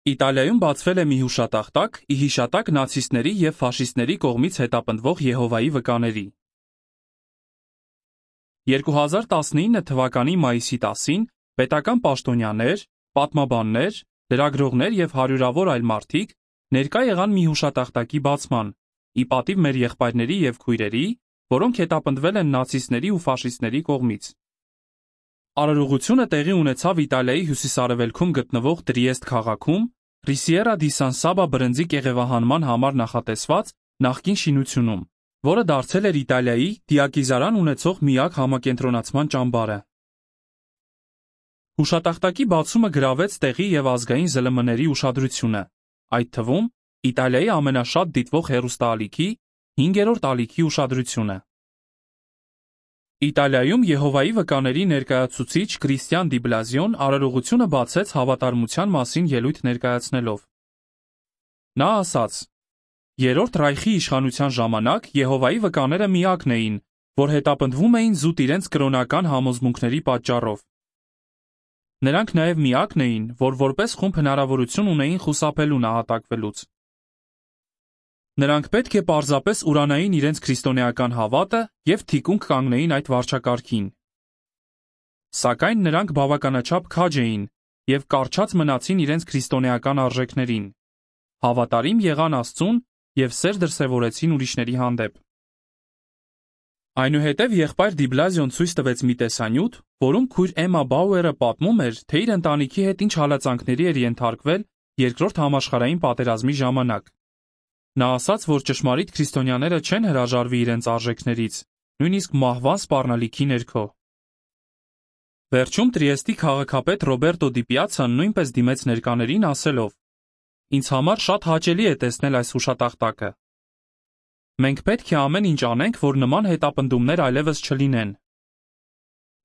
Իտալիայում բացվել է մի հուշատախտակ՝ ի հիշատակ նացիստների և ֆաշիստների կողմից հետապնդվող Եհովայի վկաների։ 2019 թվականի մայիսի 10-ին պետական պաշտոնյաներ, պատմաբաններ, լրագրողներ և հարյուրավոր այլ մարդիկ ներկա եղան մի հուշատախտակի բացման, ի պատիվ մեր եղբայրների և քույրերի, որոնք հետապնդվել են նացիստների ու ֆաշիստների կողմից։ Արարողությունը տեղի ունեցավ Իտալիայի հյուսիսարևելքում գտնվող Տրիեստ քաղաքում, Ռիսիերա դի Սան Սաբա բրնձի կեղևահանման համար նախատեսված նախկին շինությունում, որը դարձել էր Իտալիայի դիակիզարան ունեցող միակ համակենտրոնացման ճամբարը։ Հուշատախտակի բացումը գրավեց տեղի և ազգային ԶԼՄ-ների ուշադրությունը, այդ թվում Իտալիայի ամենաշատ դիտվող հեռուստաալիքի 5-րդ ալիքի ուշադրությունը։ Իտալիայում Եհովայի վկաների ներկայացուցիչ Կրիստիան Դի Բլազիոն արարողությունը բացեց հավատարմության մասին ելույթ ներկայացնելով։ Նա ասաց. «Երրորդ Ռայխի իշխանության ժամանակ Եհովայի վկաները միակն էին, որ հետապնդվում էին զուտ իրենց կրոնական համոզմունքների պատճառով։ Նրանք նաև միակն էին, որ որպես խումբ հնարավորություն ունեին խուսափելու նահատակվելուց։ Նրանք պետք է պարզապես ուրանային իրենց քրիստոնեական հավատը և թիկունք կանգնեին այդ վարչակարգին։ Սակայն նրանք բավականաչափ քաջ էին և կառչած մնացին իրենց քրիստոնեական արժեքներին, հավատարիմ եղան Աստծուն և սեր դրսևորեցին ուրիշների հանդեպ»։ Այնուհետև եղբայր Դի Բլազիոն ցույց տվեց մի տեսանյութ, որում քույր Էմմա Բաուերը պատմում էր, թե իր ընտանիքի հետ ինչ հալածանքների էր ենթարկվել Երկրորդ համաշխարհային պատերազմի ժամանակ։ Նա ասաց, որ ճշմարիտ քրիստոնյաները չեն հրաժարվի իրենց արժեքներից, նույնիսկ մահվան սպառնալիքի ներքո։ Վերջում Տրիեստի քաղաքապետ Ռոբերտո Դի Պիացան նույնպես դիմեց ներկաներին ասելով. «Ինձ համար շատ հաճելի է տեսնել այս հուշատախտակը։ Մենք պետք է ամեն ինչ անենք, որ նման հետապնդումներ այլևս չլինեն»։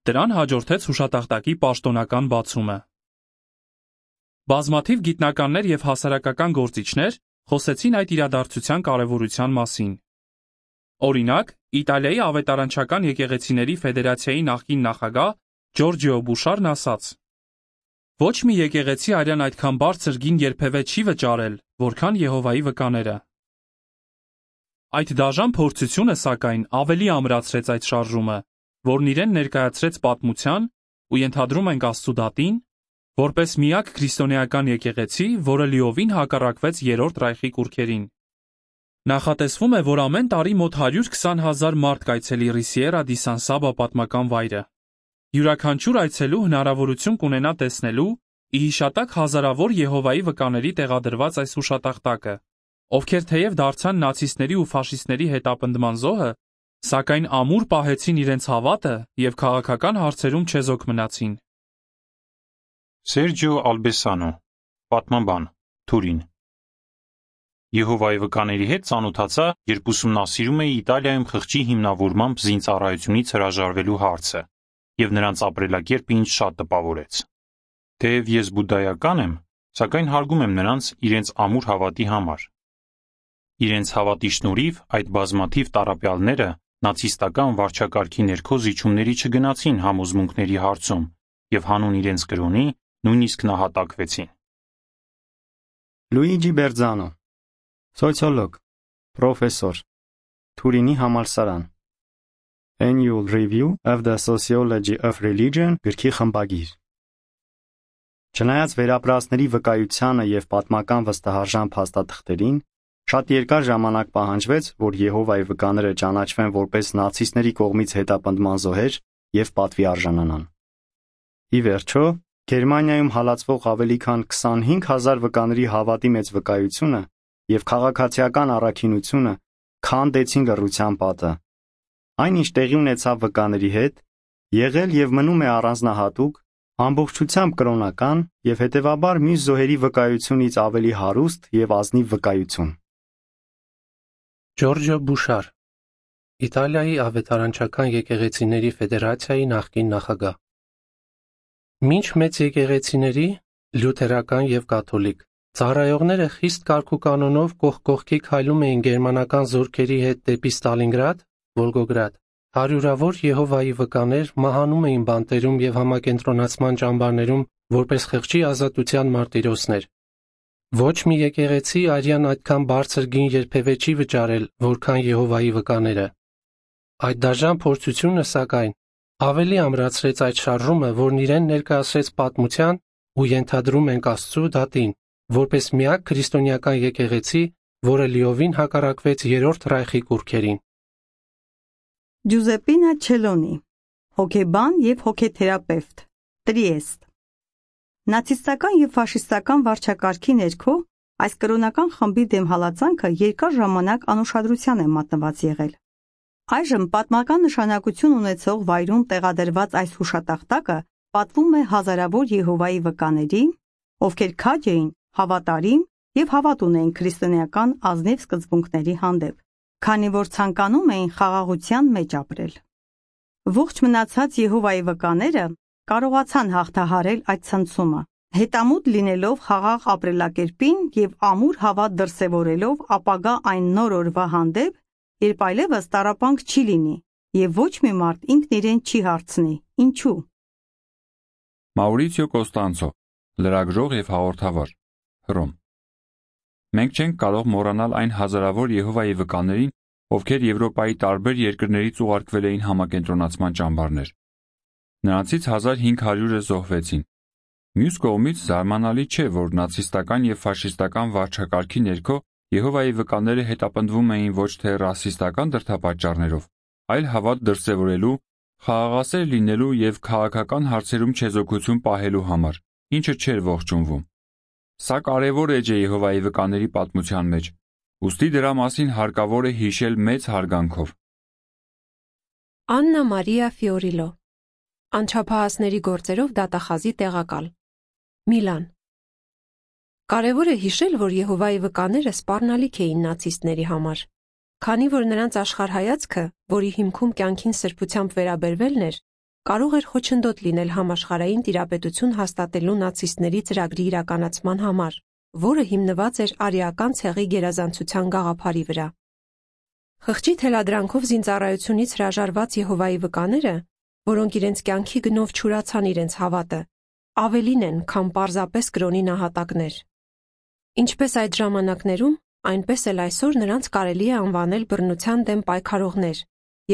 Դրան հաջորդեց հուշատախտակի պաշտոնական բացումը։ Բազմաթիվ գիտնականներ և հասարակական գործիչներ խոսեցին այդ իրադարձության կարևորության մասին։ Օրինակ, Իտալիայի ավետարանչական եկեղեցիների ֆեդերացիայի նախկին նախագահ Ջորջիո Բուշարն ասաց. «Ոչ մի եկեղեցի արյան այդքան բարձր գին երբևէ չի վճարել, որքան Եհովայի վկաները»։ Այդ դաժան փորձությունը, սակայն, ավելի ամրացրեց այդ շարժումը, որն իրեն ներկայացրեց պատմության ու ենթադրում ենք Աստծու դատին, որպես միակ քրիստոնեական եկեղեցի, որը լիովին հակառակվեց Երրորդ Ռայխի կուռքերին։ Նախատեսվում է, որ ամեն տարի մոտ 120,000 մարդ կայցելի Ռիսիերա դի Սան Սաբա պատմական վայրը։ Յուրաքանչյուր այցելու հնարավորություն կունենա տեսնելու ի հիշատակ հազարավոր Եհովայի վկաների տեղադրված այս հուշատախտակը, ովքեր թեև դարձան նացիստների ու ֆաշիստների հետապնդման զոհը, սակայն ամուր պահեցին իրենց հավատը և քաղաքական հարցերում չեզոք մնացին։ Սերջիո Ալբեսանո, պատմաբան, Թուրին։ Եհովայի վկաների հետ ծանոթացա, երբ ուսումնասիրում էի Իտալիայում խղճի հիմնավորմամբ զինծառայությունից հրաժարվելու հարցը, և նրանց ապրելակերպը ինձ շատ տպավորեց։ Թեև ես բուդդայական եմ, սակայն հարգում եմ նրանց իրենց ամուր հավատի համար։ Իրենց հավատի շնորհիվ այդ բազմաթիվ տառապյալները նացիստական վարչակարգի ներքո զիջումների չգնացին համոզմունքների հարցում և հանուն իրենց կրոնի նույնիսկ նահատակվեցին։ Լուիջի Բերձանո, սոցիոլոգ, պրոֆեսոր, Թուրինի համալսարան, Annual Review of the Sociology of Religion գրքի խմբագիր։ Չնայած վերապրածների վկայությանը և պատմական վստահարժան փաստաթղթերին, շատ երկար ժամանակ պահանջվեց, որ Եհովայի վկաները ճանաչվեն որպես նացիստների կողմից հետապնդման զոհեր և պատվի արժանանան։ Ի վերջո, Գերմանիայում հալածվող ավելի քան 25,000 վկաների հավատի մեծ վկայությունը և քաղաքացիական առաքինությունը քանդեցին լռության պատը։ Այն, ինչ տեղի ունեցավ վկաների հետ, եղել և մնում է առանձնահատուկ, ամբողջությամբ կրոնական և հետևաբար մյուս զոհերի վկայությունից ավելի հարուստ և ազնիվ վկայություն։ Ջորջիո Բուշար, Իտալիայի ավետարանչական եկեղեցիների ֆեդերացիայի նախկին նախագահ։ Մինչ մեծ եկեղեցիների, լյութերական և կաթոլիկ, ծառայողները խիստ կարգուկանոնով կողք կողքի քայլում էին գերմանական զորքերի հետ դեպի Ստալինգրադ, Վոլգոգրադ, հարյուրավոր Եհովայի վկաներ մահանում էին բանտերում և համակենտրոնացման ճամբարներում որպես խղճի ազատության մարտիրոսներ։ Ոչ մի եկեղեցի արյան այդքան բարձր գին երբևէ չի վճարել, որքան Եհովայի վկաները։ Այդ դաժան փորձությունը, սակայն, ավելի ամրացրեց այդ շարժումը, որն իրեն ներկայացրեց պատմության ու ենթադրում ենք Աստծու դատին, որպես միակ քրիստոնեական եկեղեցի, որը լիովին հակառակվեց Երրորդ Ռայխի կուռքերին։ Ջուզեպինա Չելոնի, հոգեբան և հոգեթերապևտ, Տրիեստ։ Նացիստական և ֆաշիստական վարչակարգի ներքո այս կրոնական խմբի դեմ հալածանքը երկար ժամանակ անուշադրության է մատնված եղել։ Այժմ պատմական նշանակություն ունեցող վայրում տեղադրված այս հուշատախտակը պատվում է հազարավոր Եհովայի վկաների, ովքեր քաջ էին, հավատարիմ և հավատ ունեին քրիստոնեական ազնիվ սկզբունքների հանդեպ, քանի որ ցանկանում էին խաղաղության մեջ ապրել։ Ողջ մնացած Եհովայի վկաները կարողացան հաղթահարել այդ ցնցումը, հետամուտ լինելով խաղաղ ապրելակերպին և ամուր հավատ դրսևորելով ապագա այն նոր օրվա հանդեպ, երբ այլևս տառապանք չի լինի և ոչ մի մարդ ինքն իրեն չի հարցնի. ինչու։ Մաուրիցիո Կոստանցո, լրագրող և հաղորդավար, Հռոմ։ Մենք չենք կարող մոռանալ այն հազարավոր Եհովայի վկաներին, ովքեր Եվրոպայի տարբեր երկրներից ուղարկվել էին համակենտրոնացման ճամբարներ։ Նրանցից 1500-ը զոհվեցին։ Մյուս կողմից զարմանալի չէ, որ նացիստական և ֆաշիստական վարչակարգի ներքո Եհովայի վկաները հետապնդվում էին ոչ թե ռասիստական դրդապատճառներով, այլ հավատ դրսևորելու, խաղաղասեր լինելու և քաղաքական հարցերում չեզոքություն պահելու համար, ինչը չէր ողջունվում։ Սա կարևոր էջ է Եհովայի վկաների պատմության մեջ, ուստի դրա մասին հարկավոր է հիշել մեծ հարգանքով։ Աննա Մարիա Ֆիորիլո, անչափահասների գործերով դատախազի տեղակալ, Միլան։ Կարևոր է հիշել, որ Եհովայի վկաները սպառնալիք էին նացիստների համար, քանի որ նրանց աշխարհայացքը, որի հիմքում կյանքին սրբությամբ վերաբերվելն էր, կարող էր խոչընդոտ լինել համաշխարհային տիրապետություն հաստատելու նացիստների ծրագրի իրականացման համար, որը հիմնված էր արիական ցեղի գերազանցության գաղափարի վրա։ Խղճի թելադրանքով զինծառայությունից հրաժարված Եհովայի վկաները, որոնք իրենց կյանքի գնով չուրացան իրենց հավատը, ավելին են, քան պարզապես կրոնի նահատակներ։ Ինչպես այդ ժամանակներում, այնպես էլ այսօր նրանց կարելի է անվանել բռնության դեմ պայքարողներ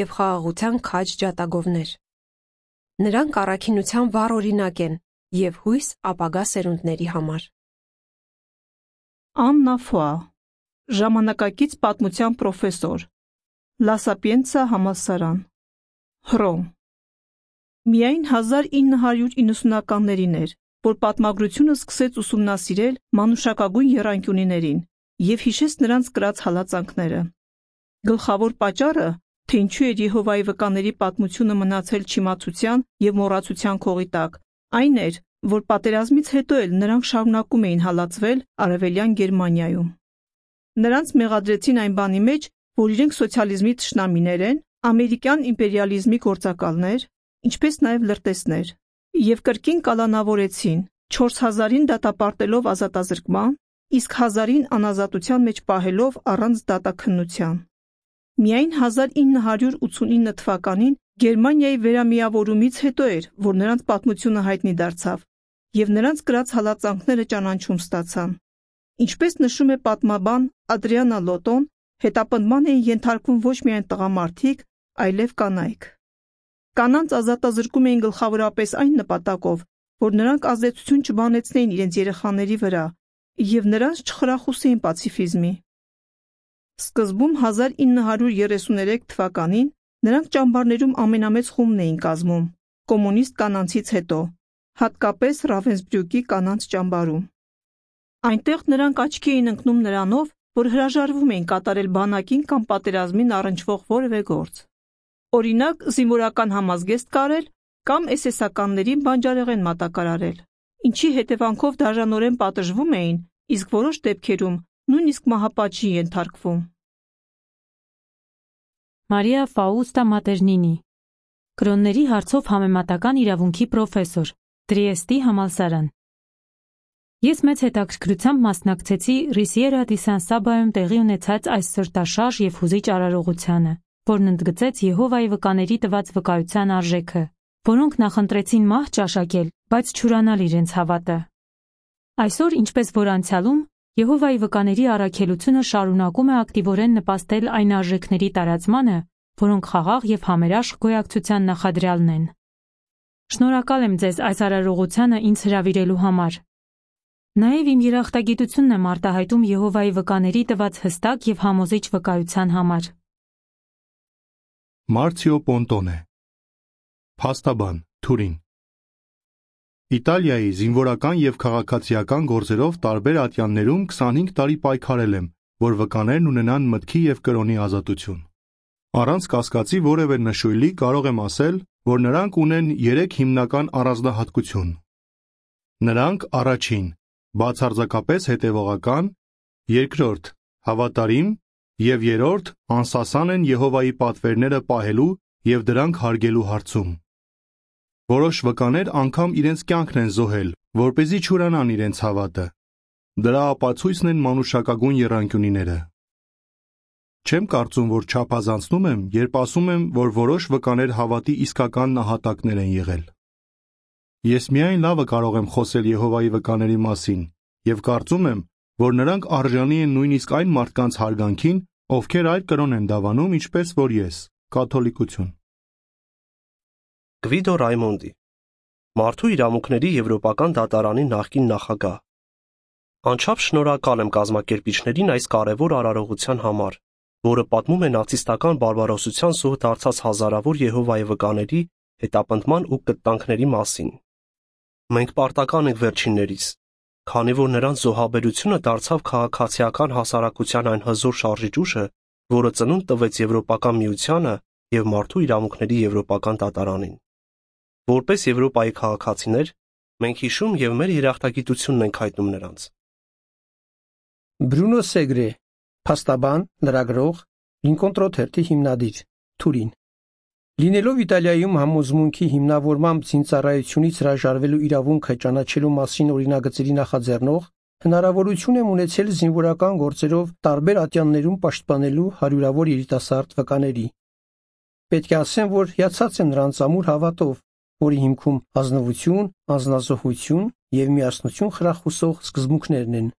և խաղաղության քաջ ջատագովներ։ Նրանք առաքինության վառ օրինակ են և հույս ապագա սերունդների համար։ Աննա Ֆուա, ժամանակակից պատմության պրոֆեսոր, Լա Սապիենցա համալսարան, Հռոմ։ Միայն 1990-ականներին էր, որ պատմագրությունը սկսեց ուսումնասիրել մանուշակագույն եռանկյունիներին և հիշեց նրանց կրած հալածանքները։ Գլխավոր պատճառը, թե ինչու էր Եհովայի վկաների պատմությունը մնացել չիմացության և մոռացության քողի տակ, այն էր, որ պատերազմից հետո էլ նրանք շարունակում էին հալածվել Արևելյան Գերմանիայում։ Նրանց մեղադրեցին այն բանի մեջ, որ իրենք սոցիալիզմի թշնամիներ են, ամերիկյան իմպերիալիզմի գործակալներ, ինչպես նաև լրտեսներ, և կրկին կալանավորեցին, 4000-ին դատապարտելով ազատազրկման, իսկ 1000-ին անազատության մեջ պահելով առանց դատաքննության։ Միայն 1989 թվականին Գերմանիայի վերամիավորումից հետո էր, որ նրանց պատմությունը հայտնի դարձավ, և նրանց կրած հալածանքները ճանաչում ստացան։ Ինչպես նշում է պատմաբան Ադրիանա Լոտոն, հետապնդման էին ենթարկվում ոչ միայն տղամարդիկ, այլև կանայք։ Կանանց ազատազրկում էին գլխավորապես այն նպատակով, որ նրանք ազդեցություն չբանեցնեին իրենց երեխաների վրա և նրանց չխրախուսեին պացիֆիզմի։ Սկզբում 1933 թվականին նրանք ճամբարներում ամենամեծ խումբն էին կազմում, կոմունիստ կանանցից հետո, հատկապես Ռավենսբրյուկի կանանց ճամբարում։ Այնտեղ նրանք աչքի էին ընկնում նրանով, որ հրաժարվում էին կատարել բանակին կամ պատերազմին առնչվող որևէ գործ։ Օրինակ, զինվորական համազգեստ կարել կամ SS-ականներին բանջարեղեն մատակարարել, ինչի հետևանքով դաժանորեն պատժվում էին, իսկ որոշ դեպքերում նույնիսկ մահապատժի ենթարկվում։ Մարիա Ֆաուստա Մատերնինի, կրոնների հարցով համեմատական իրավունքի պրոֆեսոր, Տրիեստի համալսարան։ Ես մեծ հետաքրքրությամբ մասնակցեցի Ռիսիերա դի Սան Սաբայում տեղի ունեցած այս սրտաշարժ և հուզիչ արարողությանը, որն ընդգծեց Եհովայի վկաների տված վկայության արժեքը, որոնք նախընտրեցին մահ ճաշակել, բայց չուրանալ իրենց հավատը։ Այսօր, ինչպես որ անցյալում, Եհովայի վկաների առաքելությունը շարունակում է ակտիվորեն նպաստել այն արժեքների տարածմանը, որոնք խաղաղ եւ համերաշխ գոյակցության նախադրյալն են։ Շնորհակալ եմ ձեզ այս արարողությանը ինձ հրավիրելու համար։ Նաև իմ երախտագիտությունն եմ արտահայտում Եհովայի վկաների տված հստակ եւ համոզիչ վկայության համար։ Մարցիո Պոնտոնե, փաստաբան, Թուրին։ Իտալիայի զինվորական եւ քաղաքացիական գործերով տարբեր ատյաններում 25 տարի պայքարել եմ, որ վկաներն ունենան մտքի եւ կրոնի ազատություն։ Առանց կասկածի որևէ նշույլի կարող եմ ասել, որ նրանք ունեն 3 հիմնական առանձնահատկություն։ Նրանք առաջին, բացարձակապես հետևողական, երկրորդ, հավատարիմ եւ երրորդ, անսասան են Եհովայի պատվերները պահելու եւ դրանք հարգելու հարցում։ Որոշ վկաներ անգամ իրենց կյանքն են զոհել, որպեսզի չուրանան իրենց հավատը։ Դրա ապացույցն են մանուշակագույն եռանկյունիները։ Չեմ կարծում, որ չափազանցնում եմ, երբ ասում եմ, որ որոշ վկաներ հավատի իսկական նահատակներ են եղել։ Ես միայն լավը կարող եմ խոսել Եհովայի վկաների մասին եւ կարծում եմ, որ նրանք արժանի են նույնիսկ այն մարդկանց հարգանքին, ովքեր այլ կրոն են դավանում, ինչպես որ ես, կաթոլիկություն։ Գվիդո Ռայմոնդի, Մարդու իրավունքների Եվրոպական դատարանի նախկին նախագահ։ Անչափ շնորհակալ եմ կազմակերպիչներին այս կարևոր արարողության համար, որը պատմում է նացիստական բարբարոսության զոհ դարձած հազարավոր Եհովայի վկաների հետապնդման ու կտանքների մասին։ Մենք պարտական ենք վերջիններիս, քանի որ նրանց զոհաբերությունը դարձավ քաղաքացիական հասարակության այն հզոր շարժիչ ուժը, որը ծնունդ տվեց Եվրոպական միությանը եւ Մարդու իրավունքների Եվրոպական դատարանին։ Որպես Եվրոպայի քաղաքացիներ, մենք հիշում եւ մեր երախտագիտությունն ենք հայտնում նրանց։ Բրունո Սեգրե, փաստաբան, լրագրող, Լինկոլն թերթի հիմնադիր, Թուրին։ Լինելով Իտալիայում համոզմունքի հիմնավորմամբ զինծառայությունից հրաժարվելու իրավունքը ճանաչելու մասին օրինագծերի նախաձեռնող, հնարավորություն եմ ունեցել զինվորական գործերով տարբեր ատյաններում պաշտպանելու հարյուրավոր երիտասարդ վկաների։ Պետք է ասեմ, որ հիացած եմ նրանց ամուր հավատով, որի հիմքում ազնվություն, անձնազոհություն եւ միասնություն խրախուսող սկզբունքներն են։